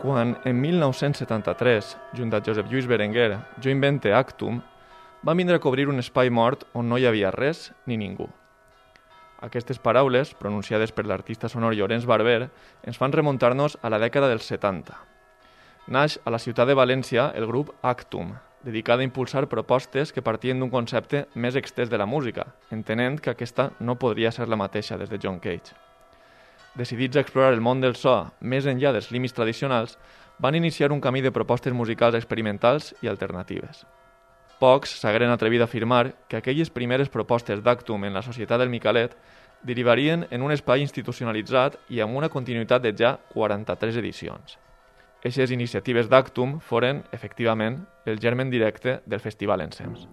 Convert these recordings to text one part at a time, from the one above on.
Quan en 1973, junt a Josep Lluís Berenguer, jo invente Actum, va vindre a cobrir un espai mort on no hi havia res ni ningú. Aquestes paraules, pronunciades per l'artista sonor Llorenç Barber, ens fan remuntar-nos a la dècada dels 70. Naix a la ciutat de València el grup Actum, dedicat a impulsar propostes que partien d'un concepte més extès de la música, entenent que aquesta no podria ser la mateixa des de John Cage. Decidits a explorar el món del so més enllà dels límits tradicionals, van iniciar un camí de propostes musicals experimentals i alternatives. Pocs s'hagueren atrevit a afirmar que aquelles primeres propostes d'Actum en la Societat del Micalet derivarien en un espai institucionalitzat i amb una continuïtat de ja 43 edicions. Eixes iniciatives d'Actum foren, efectivament, el germen directe del Festival Ensems.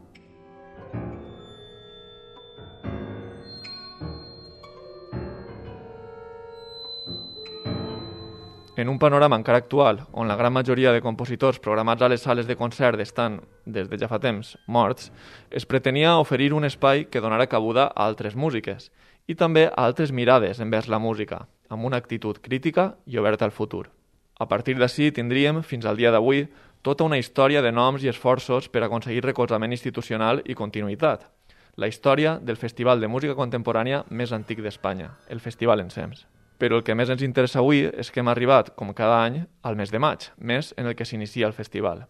En un panorama encara actual, on la gran majoria de compositors programats a les sales de concert estan, des de ja fa temps, morts, es pretenia oferir un espai que donara cabuda a altres músiques i també a altres mirades envers la música, amb una actitud crítica i oberta al futur. A partir d'ací tindríem, fins al dia d'avui, tota una història de noms i esforços per aconseguir recolzament institucional i continuïtat. La història del festival de música contemporània més antic d'Espanya, el Festival Ensems. Però el que més ens interessa avui és que hem arribat, com cada any, al mes de maig, mes en el que s'inicia el festival.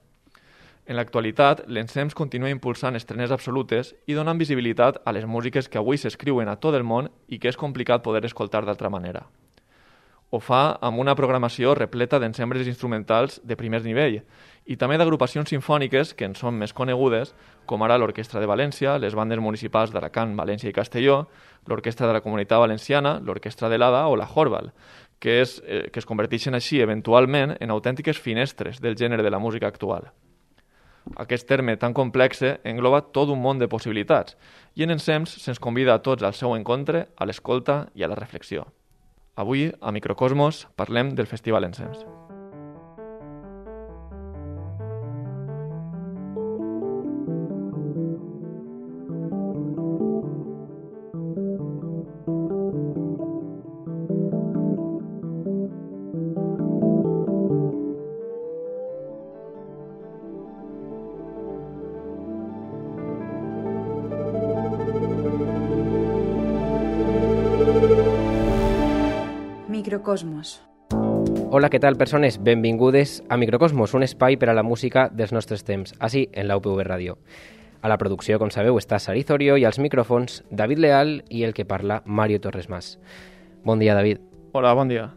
En l'actualitat, l'Ensems continua impulsant estrenes absolutes i donant visibilitat a les músiques que avui s'escriuen a tot el món i que és complicat poder escoltar d'altra manera. Ho fa amb una programació repleta d'ensembres instrumentals de primer nivell i també d'agrupacions sinfòniques que en són més conegudes, com ara l'Orquestra de València, les bandes municipals d'Alacant, València i Castelló, l'Orquestra de la Comunitat Valenciana, l'Orquestra de l'Ada o la Horval, que es converteixen així eventualment en autèntiques finestres del gènere de la música actual. Aquest terme tan complex engloba tot un món de possibilitats i en Ensems se'ns convida a tots al seu encontre, a l'escolta i a la reflexió. Avui, a Microcosmos, parlem del Festival Ensems. Microcosmos. Hola, què tal, persones? Benvingudes a Microcosmos, un espai per a la música dels nostres temps, així en la UPV Ràdio. A la producció, com sabeu, està Sariz Orio i als micròfons David Leal i el que parla, Mario Torres Mas. Bon dia, David. Hola, bon dia.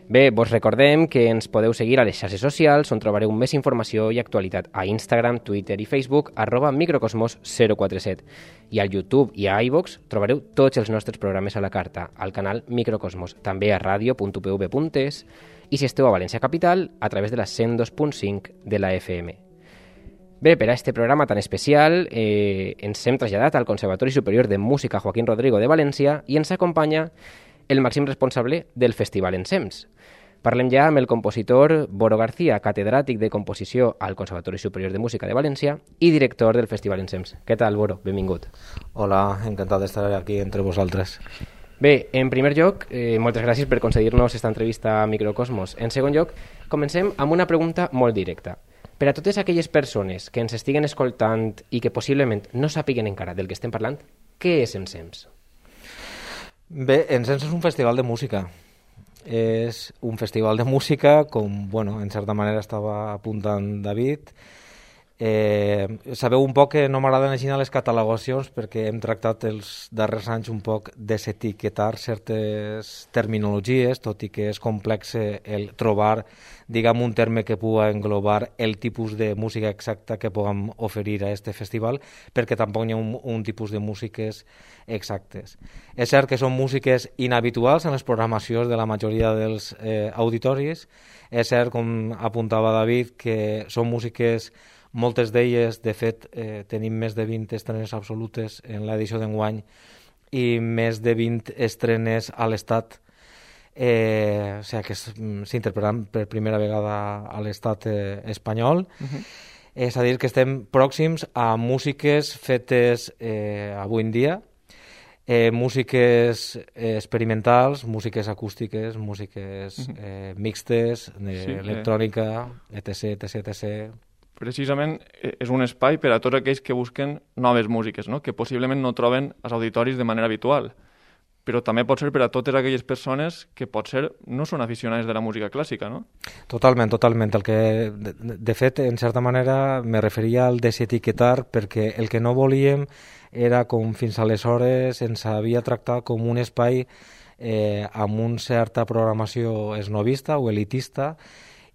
Bé, vos recordem que ens podeu seguir a les xarxes socials on trobareu més informació i actualitat a Instagram, Twitter i Facebook @microcosmos047 i al YouTube i a iVoox trobareu tots els nostres programes a la carta al canal Microcosmos, també a radio.upv.es i si esteu a València Capital a través de la 102.5 de la FM. Bé, per a este programa tan especial ens hem traslladat al Conservatori Superior de Música Joaquín Rodrigo de València i ens acompanya el màxim responsable del Festival Ensems. Parlem ja amb el compositor Boro García, catedràtic de composició al Conservatori Superior de Música de València i director del Festival Ensems. Què tal, Boro? Benvingut. Hola, encantat d'estar aquí entre vosaltres. Bé, en primer lloc, moltes gràcies per concedir-nos aquesta entrevista a Microcosmos. En segon lloc, comencem amb una pregunta molt directa. Per a totes aquelles persones que ens estiguen escoltant i que possiblement no sàpiguen encara del que estem parlant, què és Ensems? Bé, Ensems és un festival de música. És un festival de música, com, bueno, en certa manera estava apuntant David. Sabeu un poc que no m'agraden així les catalogacions perquè hem tractat els darrers anys un poc desetiquetar certes terminologies, tot i que és complex el trobar, diguem, un terme que pugui englobar el tipus de música exacta que puguem oferir a este festival, perquè tampoc hi ha un tipus de músiques exactes. És cert que són músiques inhabituals en les programacions de la majoria dels auditoris. És cert, com apuntava David, que són músiques, moltes d'elles, de fet, tenim més de 20 estrenes absolutes en l'edició d'enguany i més de 20 estrenes a l'Estat, o sigui que s'interpretaran per primera vegada a l'Estat espanyol. És a dir, que estem pròxims a músiques fetes avui en dia músiques experimentals, músiques acústiques, músiques mixtes, electrònica, etc, etc, etc. Precisament és un espai per a tots aquells que busquen noves músiques, no? Que possiblement no troben als auditoris de manera habitual, però també pot ser per a totes aquelles persones que potser no són aficionades de la música clàssica, no? Totalment, totalment. De fet, en certa manera, me referia al desetiquetar, perquè el que no volíem era, com fins aleshores ens havia tractat com un espai amb una certa programació esnovista o elitista,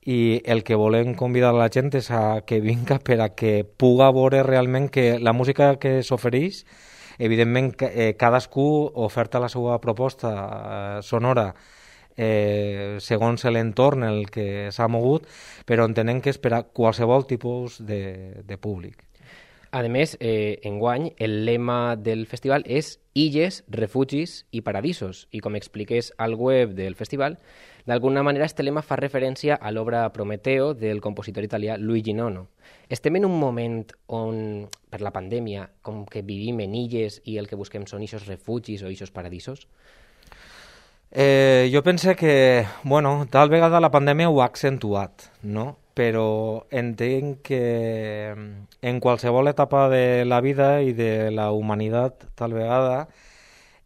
i el que volem convidar a la gent és a que vinga per a que puga veure realment que la música que s'ofereix, evidentment cadascú oferta la seva proposta sonora segons l'entorn en el que s'ha mogut, però entenem que és per a qualsevol tipus de públic. A més, enguany, el lema del festival és Illes, Refugis i Paradisos, i com expliques al web del festival, d'alguna manera este lema fa referència a l'obra Prometeo del compositor italià Luigi Nono. Estem en un moment on, per la pandèmia, com que vivim en illes i el que busquem són ixos refugis o ixos paradisos? Jo pense que, bueno, tal vegada la pandèmia ho ha accentuat, no? Però entenc que en qualsevol etapa de la vida i de la humanitat, tal vegada,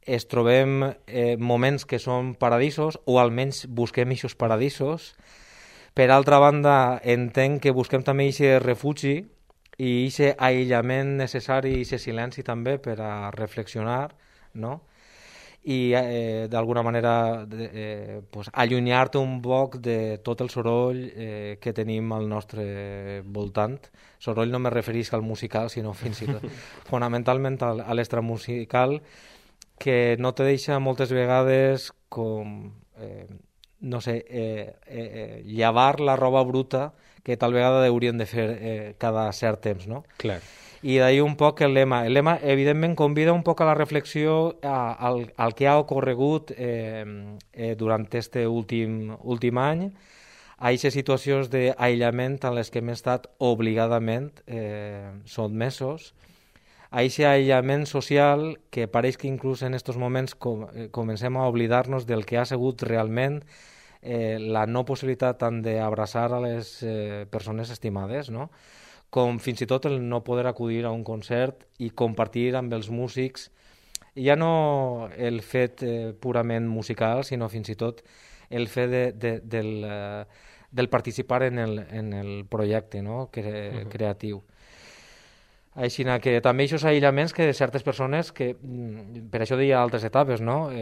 es trobem moments que són paradisos, o almenys busquem aquests paradisos. Per altra banda, entenc que busquem també aquest refugi i aquest aïllament necessari i aquest silenci també per a reflexionar, no? I d'alguna manera pues, allunyar-te un poc de tot el soroll que tenim al nostre voltant. Soroll no me referisc al musical, sinó fins i tot fonamentalment a l'extramusical, que no te deixa moltes vegades com, no sé, llevar la roba bruta que tal vegada hauríem de fer cada cert temps, no? Clar. I d'ahir un poc el lema. El lema, evidentment, convida un poc a la reflexió al que ha ocorregut durant este últim any, a aquestes situacions d'aïllament en les que hem estat obligadament sotmesos, a aquest aïllament social que pareix que inclús en aquests moments comencem a oblidar-nos del que ha sigut realment la no possibilitat tant d'abraçar a les persones estimades, no? Com fins i tot el no poder acudir a un concert i compartir amb els músics, ja no el fet purament musical, sinó fins i tot el fet del participar en el projecte, no? Creatiu. Així que també aquests aïllaments que de certes persones, que per això deia altres etapes, no?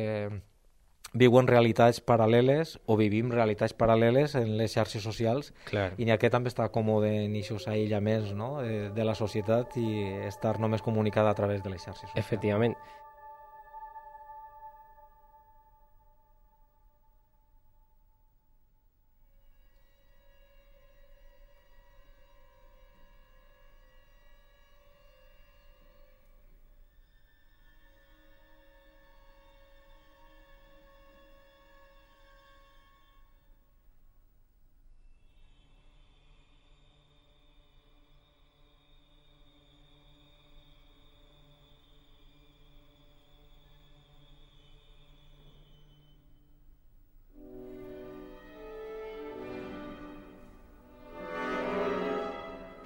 Viuen realitats paral·leles o vivim realitats paral·leles en les xarxes socials. Clar. I aquest també està còmode en aquests aïllaments, no? De la societat i estar només comunicada a través de les xarxes socials. Efectivament.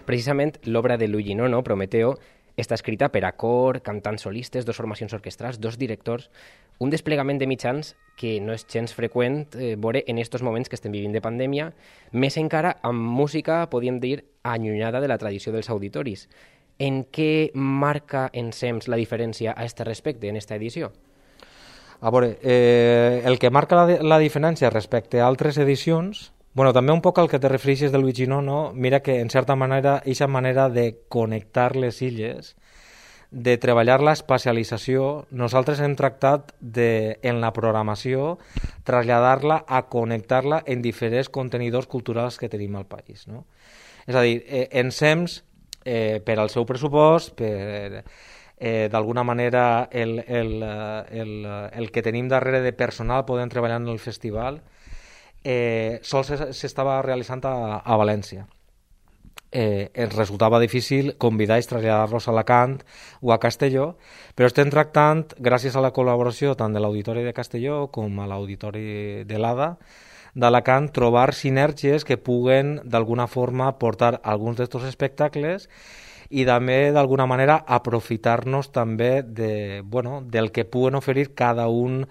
Precisament l'obra de Luigi Nono, Prometeo, està escrita per a cor, cantants solistes, dos formacions orquestrals, dos directors, un desplegament de mitjans que no és gens freqüent veure en aquests moments que estem vivint de pandèmia, més encara amb música, podríem dir, allunyada de la tradició dels auditoris. En què marca Ensems la diferència a aquest respecte en aquesta edició? A veure, el que marca la diferència respecte a altres edicions, bueno, també un poc al que te refereixes de Luigi Nono, mira que en certa manera, aquesta manera de connectar les illes, de treballar l'especialització, nosaltres hem tractat en la programació traslladar-la a connectar-la en diferents contenidors culturals que tenim al país, no? És a dir, Ensems, per al seu pressupost, per d'alguna manera el que tenim darrere de personal podem treballar en el festival, sols s'estava realitzant a València. ens resultava difícil convidar i traslladar-los a Alacant o a Castelló, però estem tractant, gràcies a la col·laboració tant de l'Auditori de Castelló com a l'Auditori de l'ADA d'Alacant, trobar sinergies que puguen d'alguna forma portar alguns d'aquests espectacles i també d'alguna manera aprofitar-nos també del que puguen oferir cada un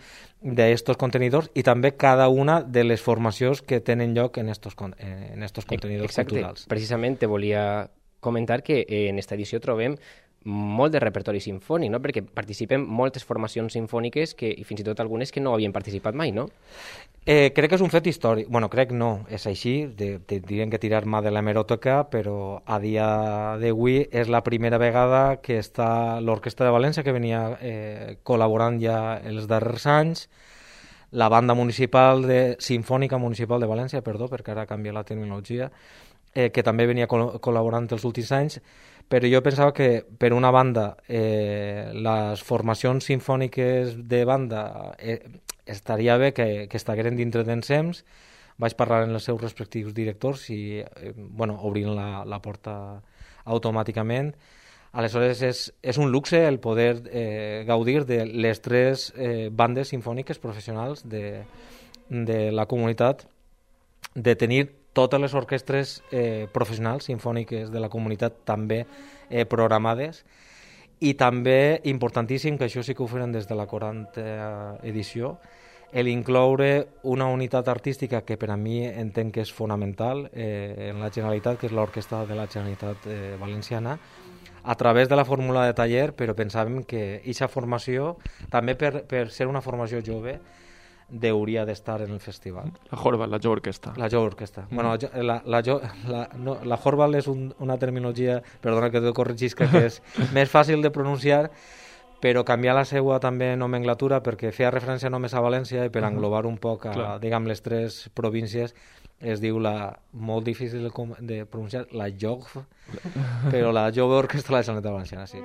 d'aquests contenidors i també cada una de les formacions que tenen lloc en estos contenidors culturals. Precisament te volia comentar que en esta edició trobem molt de repertori sinfònic, no? Perquè participen moltes formacions sinfòniques i fins i tot algunes que no havien participat mai, no? Crec que és un fet històric. Bueno, crec no, és així, tindrien que tirar mà de l'hemeroteca, però a dia d'avui és la primera vegada que està l'Orquestra de València, que venia col·laborant ja els darrers anys, la Banda Sinfònica Municipal de València, perquè ara canvia la terminologia, que també venia col·laborant els últims anys, però jo pensava que, per una banda, les formacions sinfòniques de banda estaria bé que estigueren dintre d'ensems. Vaig parlar amb els seus respectius directors i obrint la porta automàticament. Aleshores, és un luxe el poder gaudir de les 3 bandes sinfòniques professionals de la comunitat, de tenir totes les orquestres professionals sinfòniques de la comunitat també programades, i també, importantíssim, que això sí que ho feren des de la 40a edició, l'incloure una unitat artística que per a mi entenc que és fonamental en la Generalitat, que és l'Orquestra de la Generalitat Valenciana, a través de la fórmula de taller, però pensàvem que aquesta formació, també per ser una formació jove, hauria d'estar en el festival. La Jorval, la jove orquestra. La jove orquestra. Bueno, la Jorval és una terminologia, perdona que te corregisca, que és més fàcil de pronunciar, però canviar la seva també nomenclatura perquè feia referència només a València i per englobar un poc diguem, les 3 províncies es diu molt difícil de pronunciar, la JOG, però la jove orquestra de la Generalitat Valenciana, sí.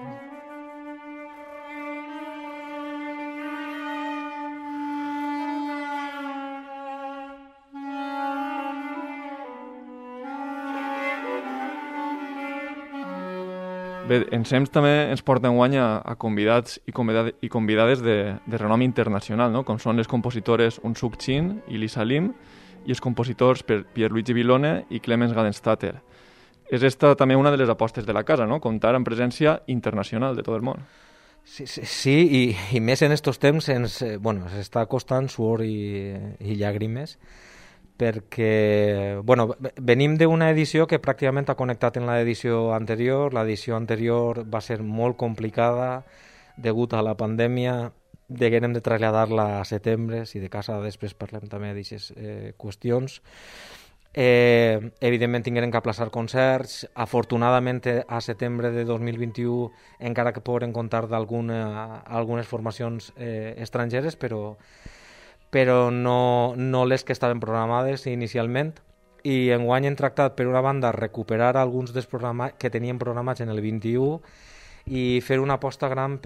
Bé, Ensems també ens porta enguany a convidats i convidades de renom internacional, no? Com són les compositores Unsuk Chin i Lisa Lim i els compositors Pierluigi Villone i Clemens Gadenstatter. És esta també una de les apostes de la casa, no? Comptar amb presència internacional de tot el món. Sí, i més en estos temps s'està costant suor i llàgrimes, perquè venim d'una edició que pràcticament ha connectat en l'edició anterior. L'edició anterior va ser molt complicada degut a la pandèmia, deguérem de traslladar-la a setembre, si de casa després parlem també d'aquestes qüestions. Evidentment tingueren que aplaçar concerts. Afortunadament a setembre de 2021 encara que poden comptar d'algunes formacions estrangeres, però no les que estaven programades inicialment, i enguany hem tractat, per una banda, recuperar alguns dels programes que tenien programats en el 21 i fer una aposta gran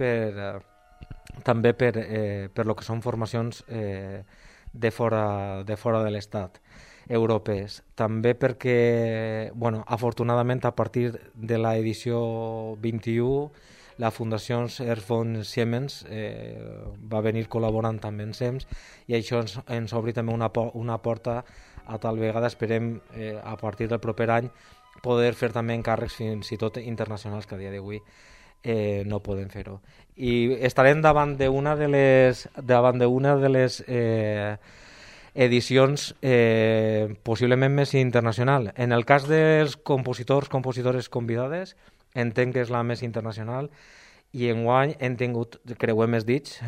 també per lo que són formacions de fora de l'Estat, europees. També perquè, afortunadament, a partir de l'edició 21, la Fundació Ernst von Siemens va venir col·laborant també en SEMS, i això ens obri també una porta a tal vegada, esperem, a partir del proper any, poder fer també encàrrecs fins i tot internacionals, que a dia d'avui no podem fer-ho. I estarem davant d'una de les edicions possiblement més internacional. En el cas dels compositores convidades, entenc que és la més internacional, i enguany hem tingut, creuem els dits,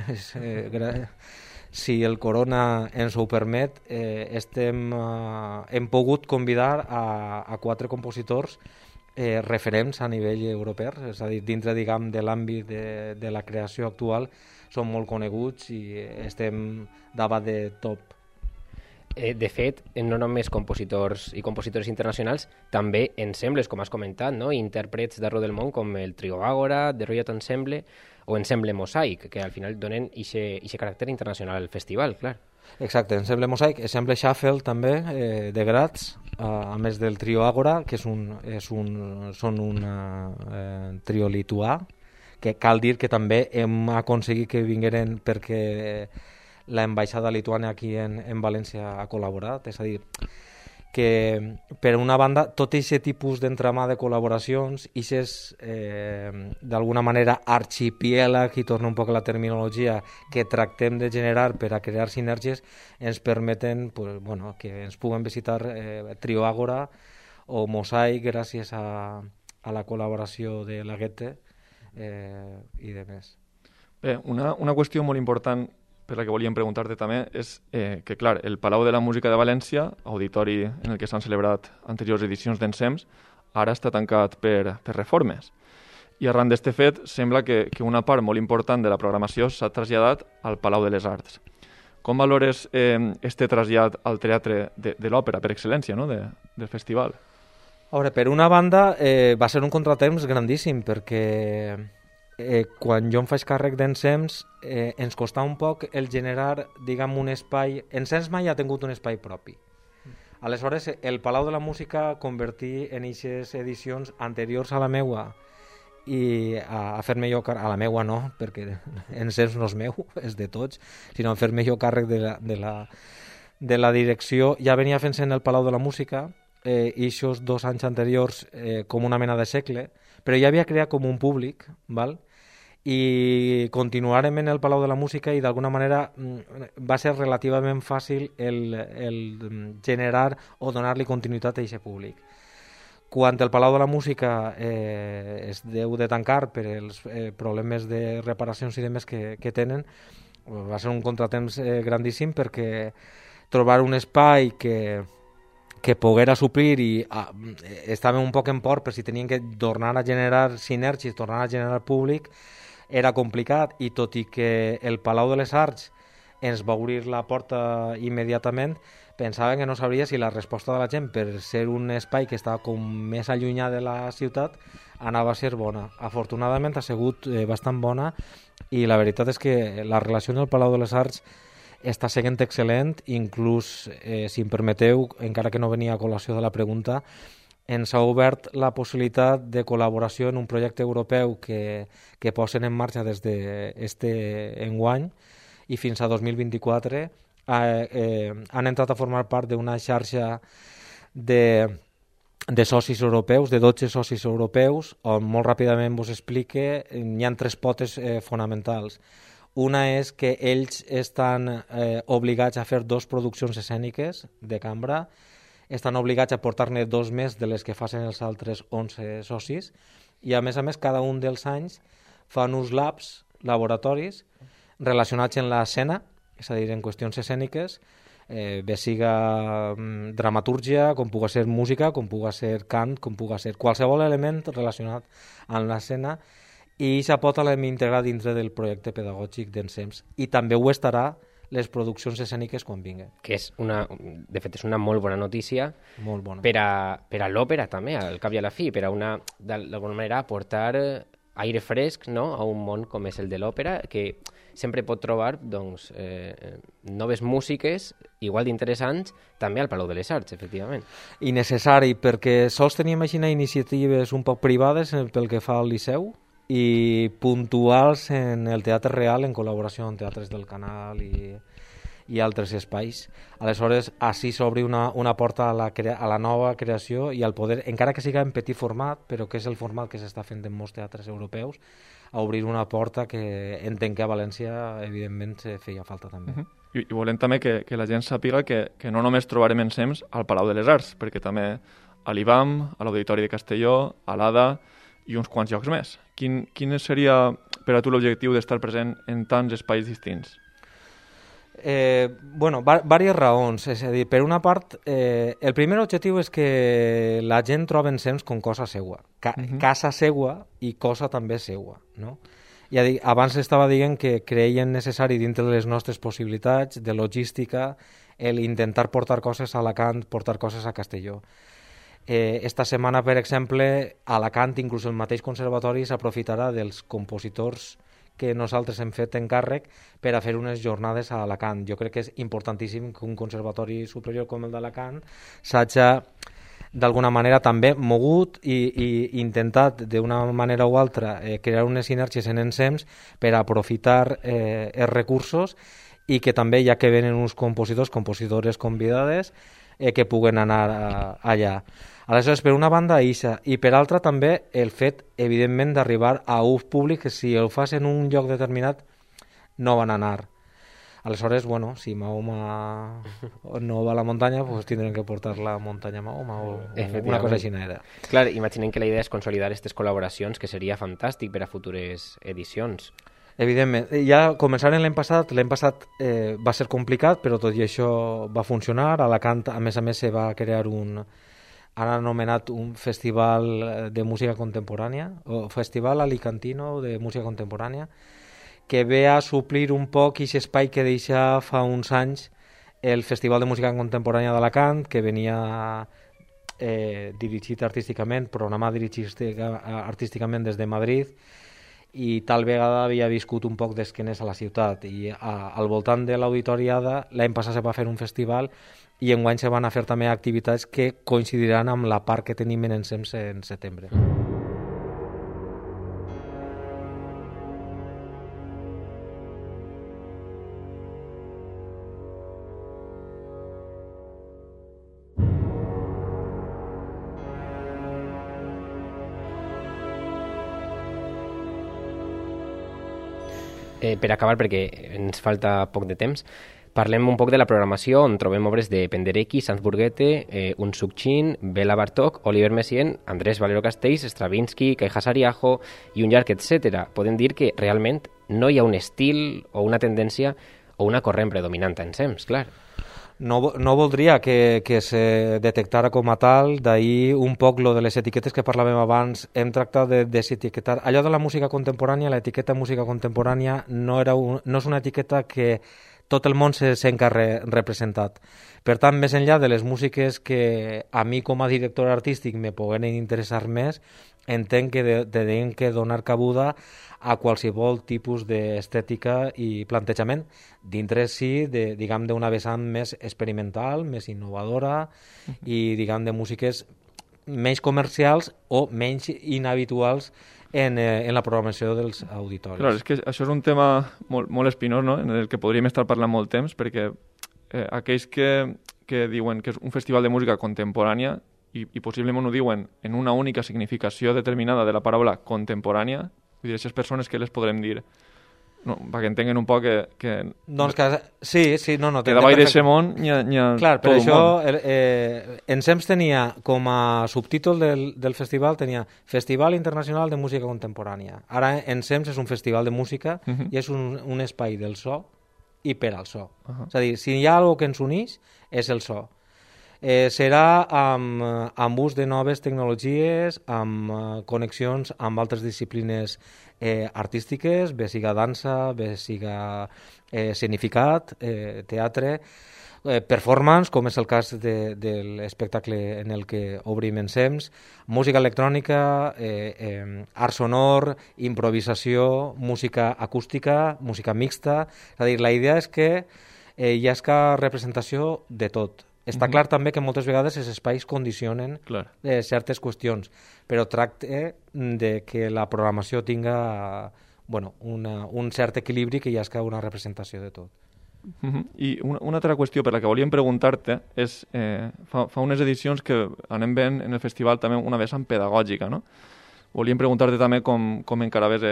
si el corona ens ho permet, hem pogut convidar a 4 compositors referents a nivell europeu, és a dir, dintre, diguem, de l'àmbit de la creació actual, són molt coneguts i estem davant de top. De fet, no només compositors i compositores internacionals, també ensembles, com has comentat, no? Intèrprets d'arreu del món, com el Trio Àgora, The Royal Ensemble o Ensemble Mosaic, que al final donen aquest caràcter internacional al festival, clar. Exacte, Ensemble Mosaic, Ensemble Shuffle també, de Graz, a més del trio Àgora, que són un trio lituà, que cal dir que també hem aconseguit que vingueren perquè l'ambaixada lituana aquí en València ha col·laborat, és a dir, que per una banda tot aquest tipus d'entramà de col·laboracions, d'alguna manera arxipièlag, i torna un poc a la terminologia, que tractem de generar per a crear sinergies, ens permeten que ens puguen visitar Trio Àgora o Mosaic gràcies a la col·laboració de la Goethe i de més. Bé, una qüestió molt important per la que volíem preguntar-te també és que, clar, el Palau de la Música de València, auditori en el que s'han celebrat anteriors edicions d'Ensems, ara està tancat per reformes. I arran d'este fet, sembla que una part molt important de la programació s'ha traslladat al Palau de les Arts. Com valores este trasllat al teatre de l'òpera, per excel·lència, no?, del festival? A veure, per una banda, va ser un contratemps grandíssim, perquè quan jo em faig càrrec d'Ensems ens costava un poc el generar, diguem, un espai. Ensems mai ha tingut un espai propi. Aleshores, el Palau de la Música convertir en aquestes edicions anteriors a la meua i a fer-me jo càrrec, a la meua no, perquè Ensems no és meu, és de tots, sinó a fer-me jo càrrec de la direcció. Ja venia fent-se en el Palau de la Música i aquests 2 anys anteriors com una mena de segle, però ja havia creat com un públic, val? I continuarem en el Palau de la Música i d'alguna manera va ser relativament fàcil el generar o donar-li continuïtat a aquest públic. Quan el Palau de la Música es deu de tancar per els problemes de reparacions i demés que tenen, va ser un contratemps grandíssim, perquè trobar un espai que poguera suplir i estàvem un poc en por per si tenien que tornar a generar sinergies, tornar a generar públic, era complicat, i tot i que el Palau de les Arts ens va obrir la porta immediatament, pensaven que no sabria si la resposta de la gent, per ser un espai que estava com més allunyat de la ciutat, anava a ser bona. Afortunadament ha sigut bastant bona, i la veritat és que la relació en el Palau de les Arts està seguint excel·lent, inclús, si em permeteu, encara que no venia a col·lació de la pregunta, ens ha obert la possibilitat de col·laboració en un projecte europeu que posen en marxa des d'este enguany i fins a 2024. Han entrat a formar part d'una xarxa de socis europeus, de 12 socis europeus, on molt ràpidament vos explique, hi ha 3 potes fonamentals. Una és que ells estan obligats a fer 2 produccions escèniques de cambra, estan obligats a portar-ne 2 més de les que facin els altres 11 socis, i a més, cada un dels anys fan uns labs, laboratoris, relacionats en l'escena, és a dir, en qüestions escèniques, bé siga dramatúrgia, com puga ser música, com puga ser cant, com puga ser qualsevol element relacionat amb l'escena, i això pot l'hem integrat dintre del projecte pedagògic d'Ensems, i també ho estarà les produccions escèniques quan vinguen. Que és de fet, és una molt bona notícia. Molt bona. Per a l'òpera també, al cap i a la fi, per a d'alguna manera aportar aire fresc, no?, a un món com és el de l'òpera, que sempre pot trobar noves músiques igual d'interessants també al Palau de les Arts, efectivament. I necessari, perquè sols teníem així iniciatives un poc privades pel que fa al Liceu, i puntuals en el Teatre Real, en col·laboració amb Teatres del Canal i altres espais. Aleshores, així s'obri una porta a la nova creació i al poder, encara que siga en petit format, però que és el format que s'està fent en molts teatres europeus, a obrir una porta que entenc que a València, evidentment, feia falta també. I volem també que la gent sàpiga que no només trobarem Ensems al Palau de les Arts, perquè també a l'IBAM, a l'Auditori de Castelló, a l'ADA i uns quants llocs més. Quin seria per a tu l'objectiu d'estar present en tants espais distints? Diverses raons. És a dir, per una part, el primer objectiu és que la gent trobi Ensems com cosa seua. Casa seua i cosa també seua, no? Ja dic, abans estava dient que creien necessari dintre de les nostres possibilitats de logística el intentar portar coses a Alacant, portar coses a Castelló. Esta setmana, per exemple, a Alacant, inclús el mateix conservatori s'aprofitarà dels compositors que nosaltres hem fet encàrrec per a fer unes jornades a Alacant. Jo crec que és importantíssim que un conservatori superior com el d'Alacant s'hagi d'alguna manera també mogut i intentat d'una manera o altra crear unes sinergies en ensems per aprofitar els recursos i que també ja que venen uns compositores convidades que puguen anar allà. Aleshores, per una banda, això, i per altra també el fet, evidentment, d'arribar a un públic que si el fas en un lloc determinat no van anar. Aleshores, bueno, si Mahoma no va a la muntanya, pues tindrem que portar la muntanya a Mahoma o una cosa així era. Clar, imaginem que la idea és consolidar aquestes col·laboracions, que seria fantàstic per a futures edicions. Evidentment, ja començaren l'any passat va ser complicat, però tot i això va funcionar. A Alacant, a més, se va crear han anomenat un festival de música contemporània, o festival alicantino de música contemporània, que ve a suplir un poc aquest espai que deixa fa uns anys el Festival de Música Contemporània d'Alacant, que venia dirigit artísticament, programat dirigit artísticament des de Madrid, i tal vegada havia viscut un poc d'esquenes a la ciutat, i al voltant de l'Auditoriada l'any passat se va fer un festival i enguany se van a fer també activitats que coincidiran amb la part que tenim en ensems en setembre. Per acabar, perquè ens falta poc de temps, parlem un poc de la programació, on trobem obres de Penderecki, Sanz Burguete, Unsuk-Chin, Bela Bartók, Oliver Messiaen, Andrés Valero Castells, Stravinsky, Kai Hasariaho i un llarg, etc. Podem dir que realment no hi ha un estil o una tendència o una corrent predominant en ensems, clar. No voldria que se detectara com a tal, d'ahir un poc lo de les etiquetes que parlàvem abans. Hem tractat de desetiquetar. Allò de la música contemporània, l'etiqueta música contemporània no és una etiqueta que tot el món se sent representat. Per tant, més enllà de les músiques que a mi com a director artístic me puguen interessar més, entenc que tenim que donar cabuda a qualsevol tipus d'estètica i plantejament, dintre sí d'una vessant més experimental, més innovadora i de músiques menys comercials o menys inhabituals en la programació dels auditoris. Clar, és que això és un tema molt espinós, no?, en el que podríem estar parlant molt temps, perquè aquells que diuen que és un festival de música contemporània i possiblement ho diuen en una única significació determinada de la paraula contemporània, vull dir, aquestes persones que les podrem dir, no, perquè entenguen un poc que doncs que sí, no, que davall d'aquest món hi ha clar, tot un món. Ensems tenia com a subtítol del festival tenia Festival Internacional de Música Contemporània. Ara Ensems és un festival de música i és un espai del so i per al so. És a dir, si hi ha alguna que ens uneix és el so. Serà amb ús de noves tecnologies, amb connexions amb altres disciplines artístiques, bé siga dansa, bé siga escenificat, teatre, performance, com és el cas de l'espectacle en el que obrim Ensems, música electrònica, art sonor, improvisació, música acústica, música mixta. És a dir, la idea és que hi ha representació de tot. Està clar també que moltes vegades els espais condicionen certes qüestions, però tracta de que la programació tinga un cert equilibri, que hi hagi una representació de tot. I una altra qüestió per la que volíem preguntar-te és, fa unes edicions que anem veient en el festival també una vessant pedagògica, no? Volíem preguntar-te també com encaraves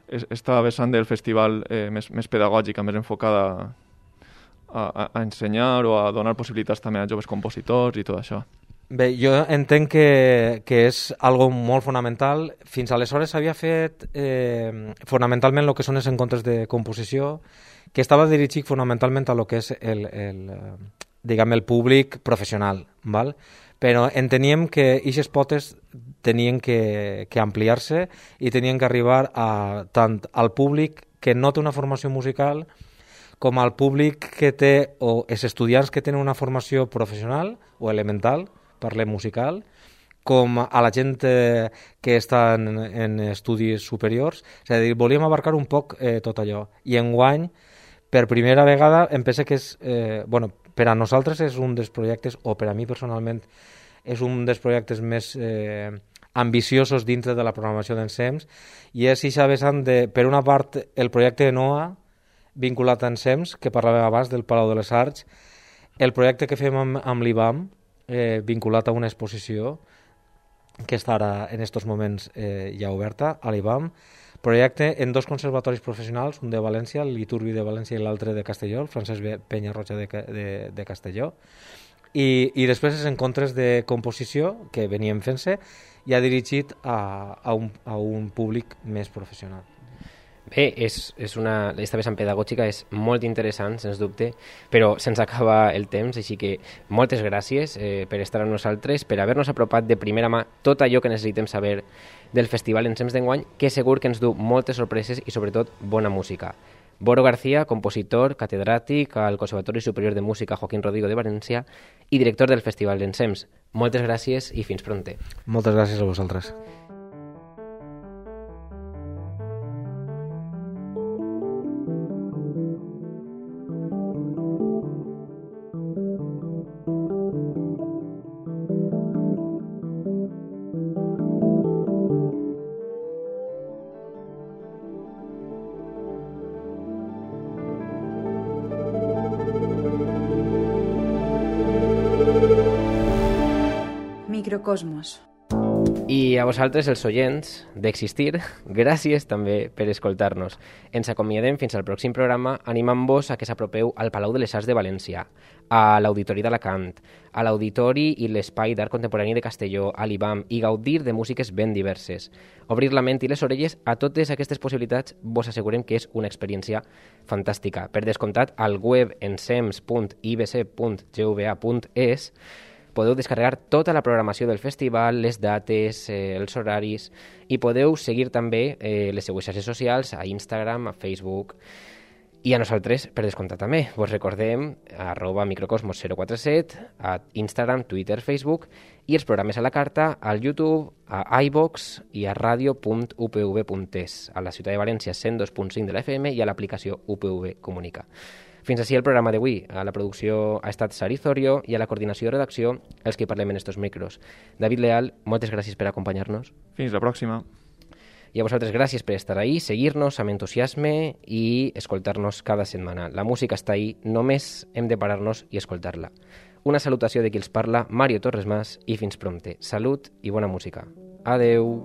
esta vessant del festival més pedagògica, més enfocada a ensenyar o a donar possibilitats també a joves compositors i tot això. Bé, jo entenc que és algo molt fonamental. Fins aleshores s'havia fet fonamentalment el que són els encontres de composició, que estava dirigit fonamentalment a lo que és el públic professional, val? Però enteníem que aquestes potes tenien que ampliar-se i tenien que arribar tant al públic que no té una formació musical com al públic que té, o els estudiants que tenen una formació professional o elemental, parlem musical, com a la gent que està en estudis superiors. És a dir, volíem abarcar un poc tot allò. I enguany, per primera vegada, em penso que és... per a nosaltres és un dels projectes, o per a mi personalment, és un dels projectes més ambiciosos dintre de la programació d'Ensems, i és eixa vessant de, per una part, el projecte de NOA, vinculat a Ensems, que parlàvem abans del Palau de les Arts, el projecte que fem amb l'IBAM, vinculat a una exposició que està ara en aquests moments ja oberta a l'IBAM, projecte en 2 conservatoris professionals, un de València, l'Iturbi de València i l'altre de Castelló, el Francesc Penyarroja de Castelló, i després els encontres de composició que veníem fent-se ja dirigit a un públic més professional. Bé, esta vessant pedagògica és molt interessant, sens dubte, però se'ns acaba el temps, així que moltes gràcies per estar amb nosaltres, per haver-nos apropat de primera mà tot allò que necessitem saber del Festival Ensems d'enguany, que segur que ens du moltes sorpreses i sobretot bona música. Boro García, compositor, catedràtic al Conservatori Superior de Música Joaquín Rodrigo de València i director del Festival Ensems. Moltes gràcies i fins pronte. Moltes gràcies a vosaltres. Microcosmos. I a vosaltres, els oients d'Existir, gràcies també per escoltar-nos. Ens acomiadem fins al pròxim programa animant-vos a que s'apropeu al Palau de les Arts de València, a l'Auditori d'Alacant, a l'Auditori i l'Espai d'Art Contemporani de Castelló, a l'IBAM, i gaudir de músiques ben diverses. Obrir la ment i les orelles a totes aquestes possibilitats vos assegurem que és una experiència fantàstica. Per descomptat, al web ensems.ibc.gva.es podeu descarregar tota la programació del festival, les dates, els horaris, i podeu seguir també les seues xarxes socials a Instagram, a Facebook, i a nosaltres, per descomptat també. Vos recordem @microcosmos047 a Instagram, Twitter, Facebook, i els programes a la carta al YouTube, a iVox i a radio.upv.es, a la ciutat de València 102.5 de la FM i a l'aplicació UPV Comunica. Fins així el programa d'avui. A la producció ha estat Sari Zorio i a la coordinació de redacció els que parlem en estos micros. David Leal, moltes gràcies per acompanyar-nos. Fins la pròxima. I a vosaltres gràcies per estar ahí, seguir-nos amb entusiasme i escoltar-nos cada setmana. La música està ahí, només hem de parar-nos i escoltar-la. Una salutació de qui els parla, Mario Torres Mas, i fins prompte. Salut i bona música. Adeu!